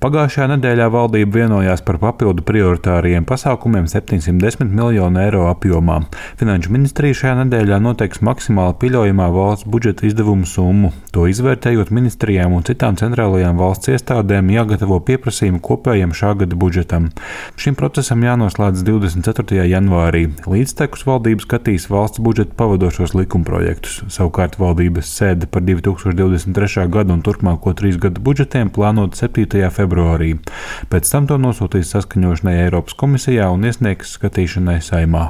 Pagājušajā nedēļā valdība vienojās par papildu prioritāriem pasākumiem 710 miljonu eiro apjomā. Finanšu ministrija šajā nedēļā noteiks maksimāli pieļaujamā valsts budžeta izdevumu summu. To izvērtējot, ministrijām un citām centrālajām valsts iestādēm jāgatavo pieprasījumi kopējam šā gada budžetam. Šim procesam jānoslēdz 24. janvārī. Līdztekus valdība skatīs valsts budžeta pavadošos likumprojektus. Savukārt valdības sēde par 2023. gadu un turpmāko 3 gadu budžetiem plānota 7. februārī. Pēc tam to nosūtīs saskaņošanai Eiropas komisijā un iesniegs skatīšanai Saeimā.